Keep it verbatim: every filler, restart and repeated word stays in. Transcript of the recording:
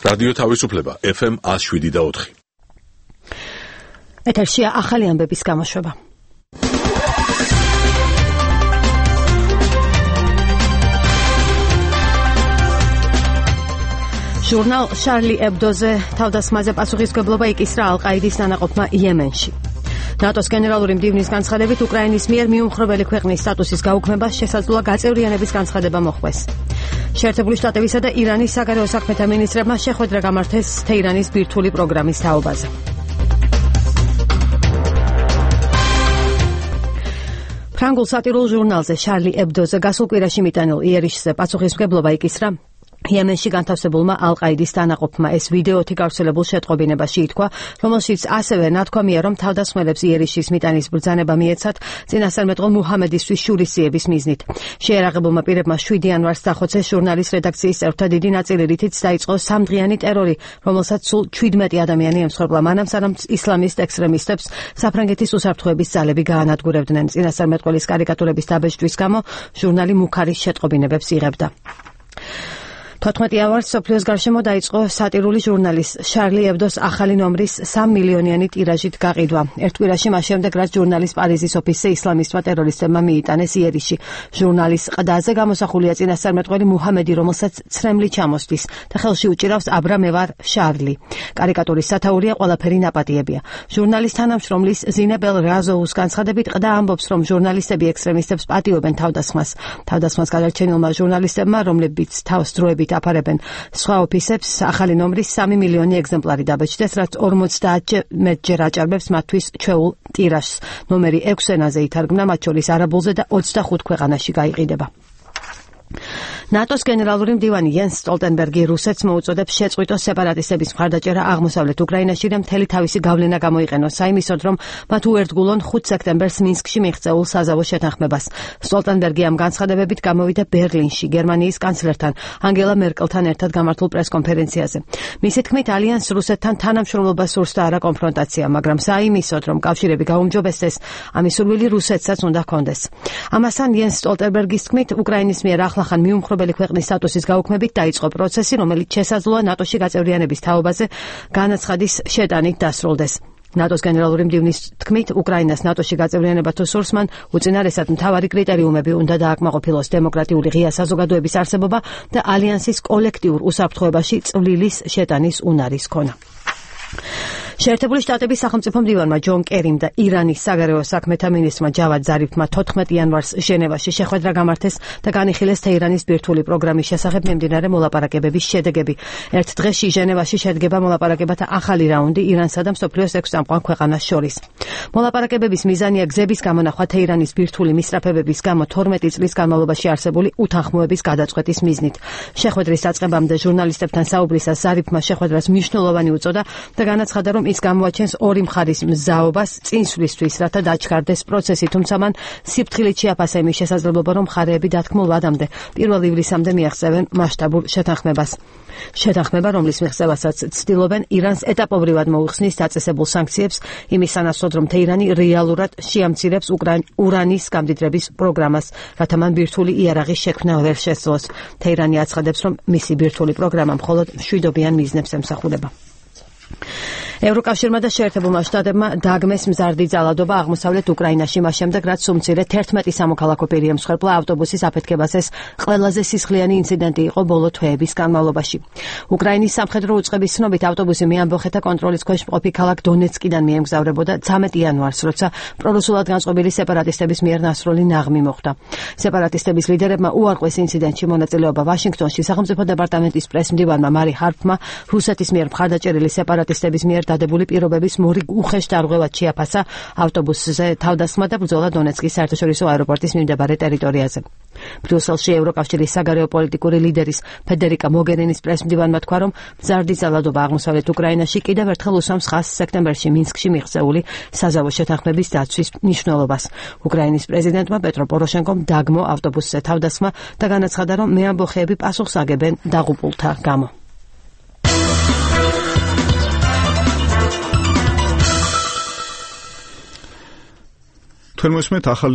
რადიო თავისუფლება F M one oh seven და four. ეთერშია ახალი ამბების გამოშვება. ჟურნალ შარლი ებდოზე თავდასხმაზე პასუხისმგებლობა იკისრა ალ-ყაიდის დანაყოფმა იემენში. ნატოს გენერალური მდივნის განცხადებით უკრაინის მიერ მიუმხრობელი ქვეყნის სტატუსის გაუქმება შესაძლოა გაწევრიანების განცხადება მოხდეს. შეერთებული შტატებისა და ირანის საგარეო საქმეთა მინისტრებმა შეხვედრა გამართეს თეირანის ბირთვული პროგრამის თაობაზე. ფრანგულ სატირულ ჟურნალზე შარლი ებდოზე გასულ კვირაში მიტანილ იერიშზე პასუხისმგებლობა იკისრა იემენში განთავსებულმა ალ-ყაიდის დანაყოფმა. ეს ვიდეოთი გავრცელებულ შეტყობინებაში ითქვა, რომელშიც ასევე ნათქვამია, რომ თავდასხმელებს იერიშის მიტანის ბრძანება მიეცათ წინასწარმეტყველ მუჰამედისთვის შურისძიების მიზნით. შეერაღებულმა პირებმა შვიდი იანვარს დახოცეს ჟურნალის რედაქციის წევრთა დიდი ნაწილი, რითიც დაიწყო სამდღიანი ტერორი, რომელსაც სულ ჩვიდმეტი ადამიანი ემსხვერპლა, მანამ სანამ ისლამისტ ექსტრემისტებს საფრანგეთის უსაფრთხოების ძალები გაანადგურებდნენ. წინასწარმეტყველის კარიკატურების დაბეჭდვის გამო ჟურნალი მუქარის შეტყობინებებს იღებდა. თოთხმეტი იანვარს სოფლიოს გარშემო დაიწყო სატირული ჟურნალის შარლი ებდოს ახალი ნომრის სამი მილიონიანი ტირაჟით გაყიდვა. ერთ კვირაში მას შემდეგ, რაც ჟურნალის პარიზის ოფისზე ისლამისტმა ტერორისტებმა მიიტანეს იერიში. ჟურნალის ყდაზე გამოსახულია წინასწარმეტყველი მუჰამედი, რომელსაც ცრემლი ჩამოსდის და ხელში უჭირავს აბრა მე ვარ შარლი. კარიკატურის სათაურია ყველაფერი ნაპატიებია. ჟურნალის თანამშრომლის ზინებელ რაზოუს განცხადებით, ყდა ამბობს, რომ ჟურნალისტები ექსტრემისტებს პატიობენ თავდასხმას. თავდასხმას გადარჩენილმა ჟურნალისტებმა, რომლებიც თავს დროებით აფარებენ სხვა ოფისებს, ახალი ნომრის სამი მილიონი ეგზემპლარი დაბეჭდეს, რაც ორმოცდაათჯერ მეტჯერ აჭარბებს მათთვის ჩვეულ ტირაჟს. ნომერი ექვს ენაზე ითარგმნა, მათ შორის არაბულზე და ოცდახუთ ქვეყანაში გაიყიდება. ნატოს გენერალური მდივანი იენს სტოლტენბერგი რუსეთს მოუწოდებს შეწყვიტოს სეპარატისტების მხარდაჭერა აღმოსავლეთ უკრაინაში და მთელი თავისი გავლენა გამოიყენოს საიმისოდ, რომ მათ უერთგულონ ხუთ სექტემბერს მინსკში მიღწეულ საზავო შეთანხმებას. სტოლტენბერგი ამ განცხადებებით გამოვიდა ბერლინში გერმანიის კანცლერთან ანგელა მერკელთან ერთად გამართულ პრესკონფერენციაზე. მისი თქმით, ალიანსს რუსეთთან თანამშრომლობა სურს და არა კონფრონტაცია, მაგრამ საიმისოდ, რომ კავშირები გაუმჯობესდეს, ამის სურვილი რუსეთსაც უნდა ჰქონდეს. ამასთან იენს სტოლტენბერგის თქმით, უკრაინის მიერ ახლახან მიუმხრობელი ქვეყნის სტატუსის გაუქმებით დაიწყო პროცესი, რომელიც შესაძლოა ნატოში გაწევრიანების თაობაზე განაცხადის შეტანით დასრულდეს. ნატოს გენერალური მდივნის თქმით, უკრაინას ნატოში გაწევრიანება თუ სურს, მან უწინარესად მთავარი კრიტერიუმები უნდა დააკმაყოფილოს: დემოკრატიული ღია საზოგადოების არსებობა და ალიანსის კოლექტიურ უსაფრთხოებაში წვლილის შეტანის უნარის ქონა. შეერთებული შტატების სახელმწიფო მდივანმა ჯონ კერიმ და ირანის საგარეო საქმეთა მინისტრმა ჯავად ზარიფმა თოთხმეტი იანვარს ჟენევაში შეხვედრა გამართეს და განიხილეს თეირანის ბირთვული პროგრამის შესახებ მიმდინარე მოლაპარაკებების შედეგები. ერთ დღეში ჟენევაში შედგება მოლაპარაკებათა ახალი რაუნდი ირანსა და მსოფლიოს ექვს წამყვან ქვეყანას შორის. მოლაპარაკებების მიზანია გზების გამონახვა თეირანის ბირთვული მისწრაფებების გამო თორმეტი წლის განმავლობაში არსებული უთანხმოების გადაწყვეტის მიზნით. შეხვედრის დაწყებამდე ჟურნალისტებთან საუბრისას ზარიფმა შეხვედრას მნიშვნელოვანი უწოდა და განაცხადა, რომ ის გამოაჩენს ორი მხარის მზაობას წინსვლისთვის, რათა დაჩქარდეს პროცესი, თუმცა მან სიფრთხილით შეაფასა იმის შესაძლებლობა, რომ მხარეები დათქმულ ვადამდე პირველ ივლისამდე მიაღწევენ მასშტაბურ შეთანხმებას. შეთანხმება, რომლის მიღწევასაც ცდილობენ ირანს ეტაპობრივად მოუხსნის დაწესებულ სანქციებს, იმის სანაცვლოდ, რომ თეირანი რეალურად შეამცირებს ურანის გამდიდრების პროგრამას, რათა მან ბირთვული იარაღის შექმნა ვერ შესძლოს. თეირანი აცხადებს, რომ მისი ბირთვული პროგრამა მხოლოდ მშვიდობიან მიზნებს ემსახურება. ევროკავშირმა და შეერთებულმა შტატებმა დაგმეს მზარდი ძალადობა აღმოსავლეთ უკრაინაში, მას შემდეგ, რაც სულ მცირე თერთმეტი სამოქალაქო პირი ემსხვერპლა ავტობუსის აფეთქებას. ეს ყველაზე სისხლიანი ინციდენტი იყო ბოლო თვეების განმავლობაში. უკრაინის სამხედრო უწყების ცნობით, ავტობუსი მეამბოხეთა კონტროლის ქვეშ მყოფი ქალაქ დონეცკიდან მიემგზავრებოდა ცამეტი იანვარს, როცა პრორუსულად განწყობილი სეპარატისტების მიერ ნასროლი ნაღმი მოხდა. სეპარატისტების ლიდერებმა უარყვეს ინციდენტში მონაწილეობა. ვაშინგტონში სახელმწიფო დეპარტამენტის პრესმდივანმა მარი ჰარპმა რუსეთის მიერ მხარდაჭერილი სეპარატისტების მიერ დადებული პირობების მორი უხეშ დარღვევად შეაფასა ავტობუსზე თავდასხმა და ბრძოლა დონეცკის საერთაშორისო აეროპორტის მიმდებარე ტერიტორიაზე. ბრიუსელში ევროკავშირის საგარეო პოლიტიკური ლიდერის ფედერიკა მოგერინის პრესმდივანმა თქვა, რომ მზარდი ძალადობა აღმოსავლეთ უკრაინაში კიდევ ერთხელ უსვამს ხაზს სექტემბერში მინსკში მიღწეული საზავო შეთანხმების დაცვის მნიშვნელობას. უკრაინის პრეზიდენტმა პეტრო პოროშენკომ დაგმო ავტობუსზე თავდასხმა და განაცხადა, რომ მეამბოხეები პასუხს აგებენ დაღუპულთა გამო. თორმეტ ახალი